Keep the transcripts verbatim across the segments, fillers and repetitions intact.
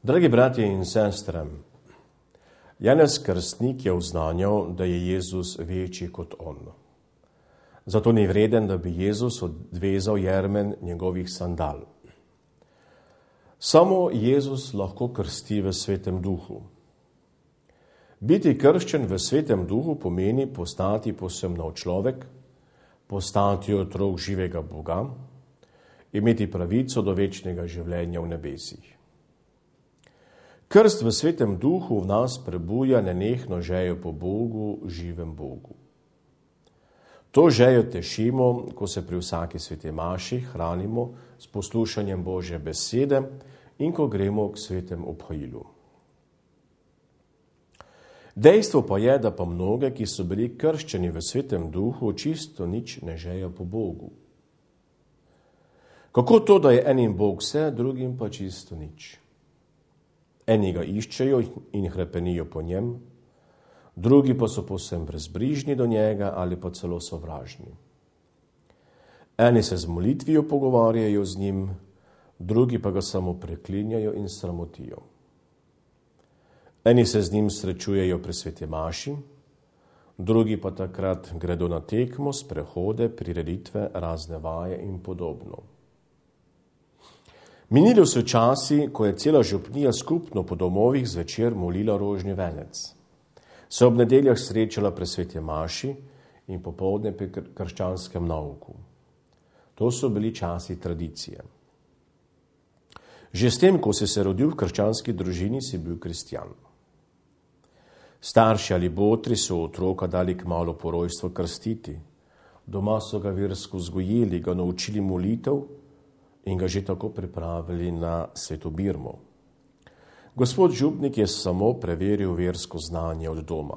Dragi bratje in sestre, Janez Krstnik je oznanjal, da je Jezus večji kot on. Zato ni vreden, da bi Jezus odvezal jermen njegovih sandal. Samo Jezus lahko krsti v Svetem Duhu. Biti krščen v Svetem Duhu pomeni postati povsem nov človek, postati otrok živega Boga, imeti pravico do večnega življenja v nebesih. Krst v Svetem Duhu v nas prebuja nenehno željo po Bogu, živem Bogu. To željo tešimo, ko se pri vsaki sveti maši hranimo s poslušanjem Božje besede in ko gremo k svetem obhajilu. Dejstvo pa je, da pa mnoge, ki so bili krščeni v Svetem Duhu, čisto nič ne željo po Bogu. Kako to, da je enim Bog vse, drugim pa čisto nič? Eni ga iščejo in hrepenijo po njem, drugi pa so povsem brezbrižni do njega ali pa celo sovražni. Eni se z molitvijo pogovarjajo z njim, drugi pa ga samo preklinjajo in sramotijo. Eni se z njim srečujejo pri sveti maši, drugi pa takrat gredo na tekmo, sprehode, prireditve, razne vaje in podobno. Minili so časi, ko je cela župnija skupno po domovih zvečer molila rožni venec. Se ob nedeljah srečala pri sveti maši in popoldne pri krščanskem nauku. To so bili časi tradicije. Že s tem, ko si se rodil v krščanski družini, si bil kristjan. Starši ali botri so otroka dali kmalu po rojstvu krstiti. Doma so ga versko vzgojili, ga naučili molitev in ga že tako pripravili na sveto birmo. Gospod župnik je samo preveril versko znanje od doma.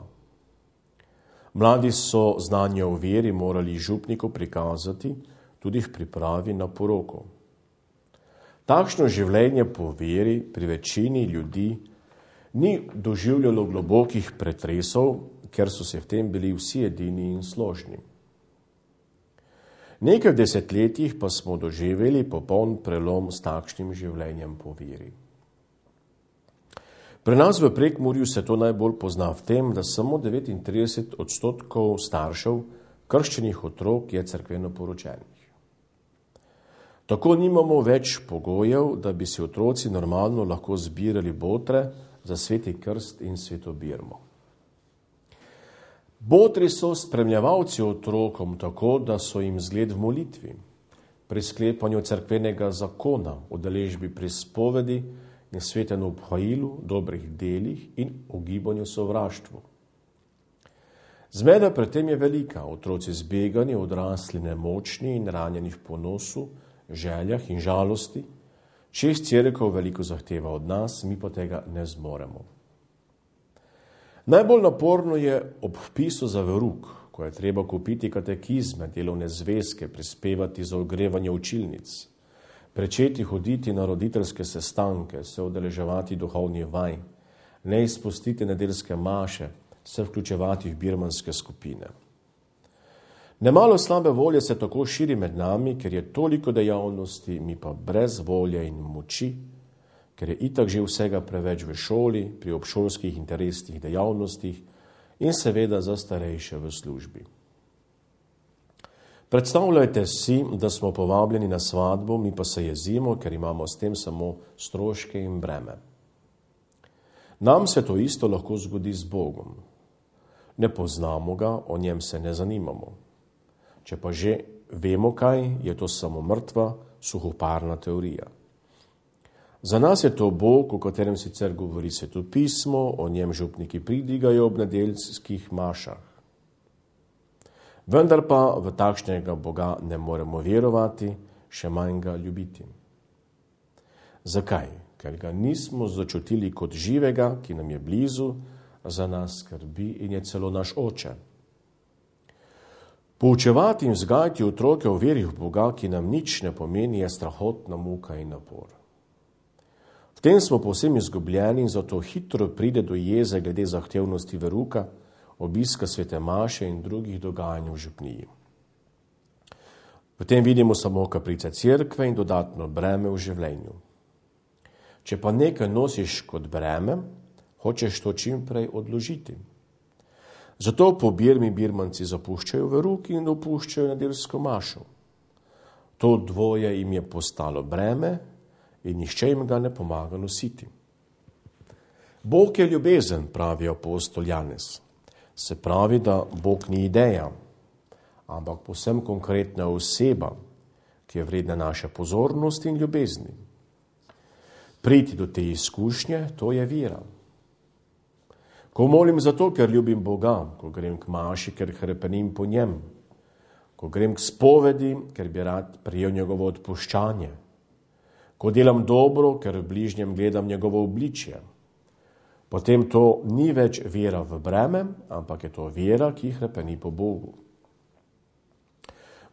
Mladi so znanje o veri morali župniku prikazati tudi v pripravi na poroko. Takšno življenje po veri pri večini ljudi ni doživljalo globokih pretresov, ker so se v tem bili vsi edini in složni. Nekaj v desetletjih pa smo doživeli popoln prelom s takšnim življenjem po veri. Pri nas v Prekmurju se to najbolj pozna v tem, da samo devetintrideset odstotkov staršev krščenih otrok je cerkveno poročenih. Tako nimamo več pogojev, da bi si otroci normalno lahko zbirali botre za sveti krst in sveto birmo. Botri so spremljevalci otrokom tako, da so jim zgled v molitvi, pri sklepanju cerkvenega zakona, udeležbi pri spovedi in svetem obhajilu, dobrih delih in ugibanju sovraštvu. Zmeda pred tem je velika, otroci zbegani, odrasli nemočni in ranjeni v ponosu, željah in žalosti, čez cerkev veliko zahteva od nas, mi pa tega ne zmoremo. Najbolj naporno je ob vpisu za verouk, ko je treba kupiti katekizme, delovne zvezke, prispevati za ogrevanje učilnic, prečeti hoditi na roditeljske sestanke, se udeleževati duhovnih vaj, ne izpustiti nedeljske maše, se vključevati v birmanske skupine. Nemalo slabe volje se tako širi med nami, ker je toliko dejavnosti, mi pa brez volje in moči, ker je itak že vsega preveč v šoli, pri obšolskih interesnih dejavnostih in seveda za starejše v službi. Predstavljajte si, da smo povabljeni na svadbo, mi pa se jezimo, ker imamo s tem samo stroške in breme. Nam se to isto lahko zgodi z Bogom. Ne poznamo ga, o njem se ne zanimamo. Če pa že vemo kaj, je to samo mrtva, suhoparna teorija. Za nas je to Bog, o katerem sicer govori Sveto pismo, o njem župniki pridigajo ob nedeljskih mašah. Vendar pa v takšnega Boga ne moremo verovati, še manj ga ljubiti. Zakaj? Ker ga nismo začutili kot živega, ki nam je blizu, za nas skrbi in je celo naš oče. Poučevati in vzgajati otroke o veri v Boga, ki nam nič ne pomeni, je strahotna muka in napor. V tem smo povsem izgubljeni in zato hitro pride do jeze glede zahtevnosti veruka, obiska svete maše in drugih dogajanj v župniji. V tem vidimo samo kaprice cerkve in dodatno breme v življenju. Če pa nekaj nosiš kot breme, hočeš to čim prej odložiti. Zato po birmi birmanci zapuščajo veruk in opuščajo nedeljsko mašo. To dvoje jim je postalo breme in nihče jim ga ne pomaga nositi. Bog je ljubezen, pravi apostol Janez. Se pravi, da Bog ni ideja, ampak povsem konkretna oseba, ki je vredna naše pozornosti in ljubezni. Priti do te izkušnje, to je vera. Ko molim zato, ker ljubim Boga, ko grem k maši, ker hrepenim po njem, ko grem k spovedi, ker bi rad prijel njegovo odpuščanje, ko delam dobro, ker v bližnjem gledam njegovo obličje, potem to ni več vera v breme, ampak je to vera, ki hrepeni po Bogu.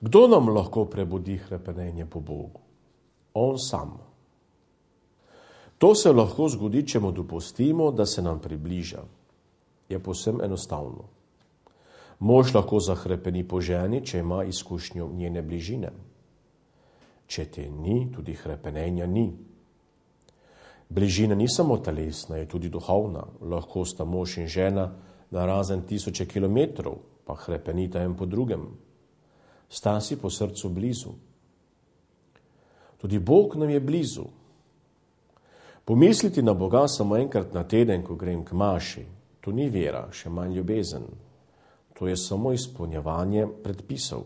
Kdo nam lahko prebudi hrepenenje po Bogu? On sam. To se lahko zgodi, če mu dopustimo, da se nam približa. Je povsem enostavno. Mož lahko zahrepeni po ženi, če ima izkušnjo njene bližine. Če te ni, tudi hrepenenja ni. Bližina ni samo telesna, je tudi duhovna. Lahko sta mož in žena na razen tisoče kilometrov, pa hrepenita en po drugem. Sta si po srcu blizu. Tudi Bog nam je blizu. Pomisliti na Boga samo enkrat na teden, ko grem k maši, to ni vera, še manj ljubezen. To je samo izpolnjevanje predpisov.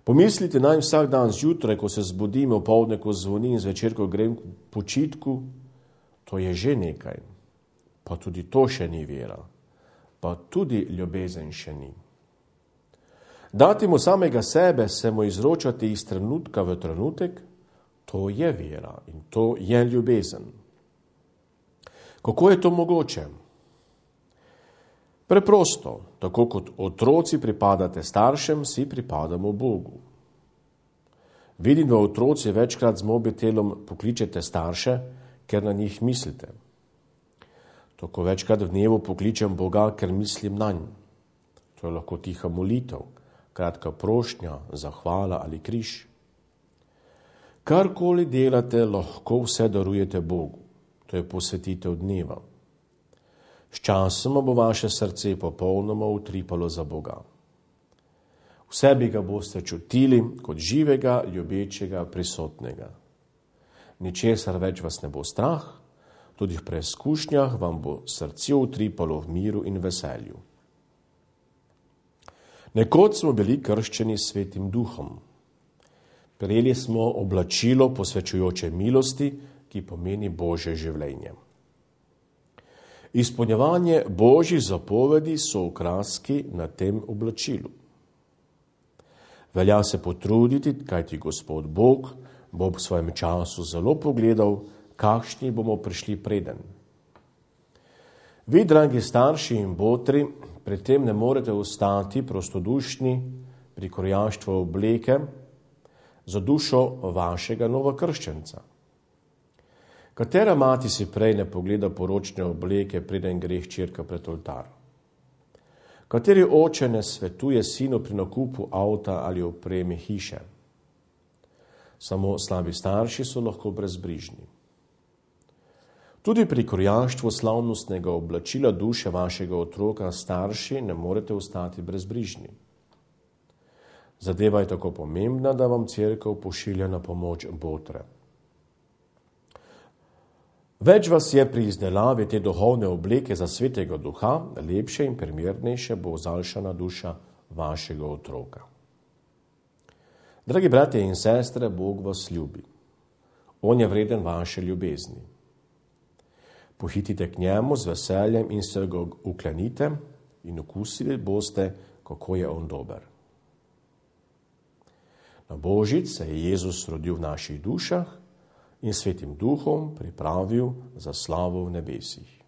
Pomisliti naj vsak dan zjutraj, ko se zbudim, opoldne, ko zvoni in zvečer, ko grem k počitku, to je že nekaj. Pa tudi to še ni vera. Pa tudi ljubezen še ni. Dati mu samega sebe, se mu izročati iz trenutka v trenutek, to je vera in to je ljubezen. Kako je to mogoče? Preprosto, tako kot otroci pripadate staršem, si pripadamo Bogu. Vidim, da otroci večkrat z mobitelom pokličete starše, ker na njih mislite. Tako večkrat v dnevu pokličem Boga, ker mislim nanj. To je lahko tiha molitev, kratka prošnja, zahvala ali križ. Karkoli delate, lahko vse darujete Bogu. To je posvetitev dneva. Sčasoma bo vaše srce popolnoma utripalo za Boga. V sebi ga boste čutili kot živega, ljubečega, prisotnega. Ničesar več vas ne bo strah, tudi v preizkušnjah vam bo srce utripalo v miru in veselju. Nekoč smo bili krščeni s Svetim Duhom. Prejeli smo oblačilo posvečujoče milosti, ki pomeni Božje življenje. Izpolnjevanje Božjih zapovedi so okraski na tem oblačilu. Velja se potruditi, kajti Gospod Bog bo v svojem času zelo pogledal, kakšni bomo prišli preden. Vi, dragi starši in botri, pri tem ne morete ostati prostodušni pri krojaštvu obleke za dušo vašega novokrščenca. Katera mati si prej ne pogleda poročne obleke, preden gre hčerka pred oltar? Kateri oče ne svetuje sinu pri nakupu avta ali opreme hiše? Samo slabi starši so lahko brezbrižni. Tudi pri krojaštvu slavnostnega oblačila duše vašega otroka starši ne morete ostati brezbrižni. Zadeva je tako pomembna, da vam cerkev pošilja na pomoč botre. Več vas je pri izdelavi te duhovne obleke za Svetega Duha, lepše in primernejše bo zaljšana duša vašega otroka. Dragi bratje in sestre, Bog vas ljubi. On je vreden vaše ljubezni. Pohitite k njemu z veseljem in se ga uklenite in okusili boste, kako je on dober. Na Božič se je Jezus rodil v naših dušah in Svetim Duhom pripravil za slavo v nebesih.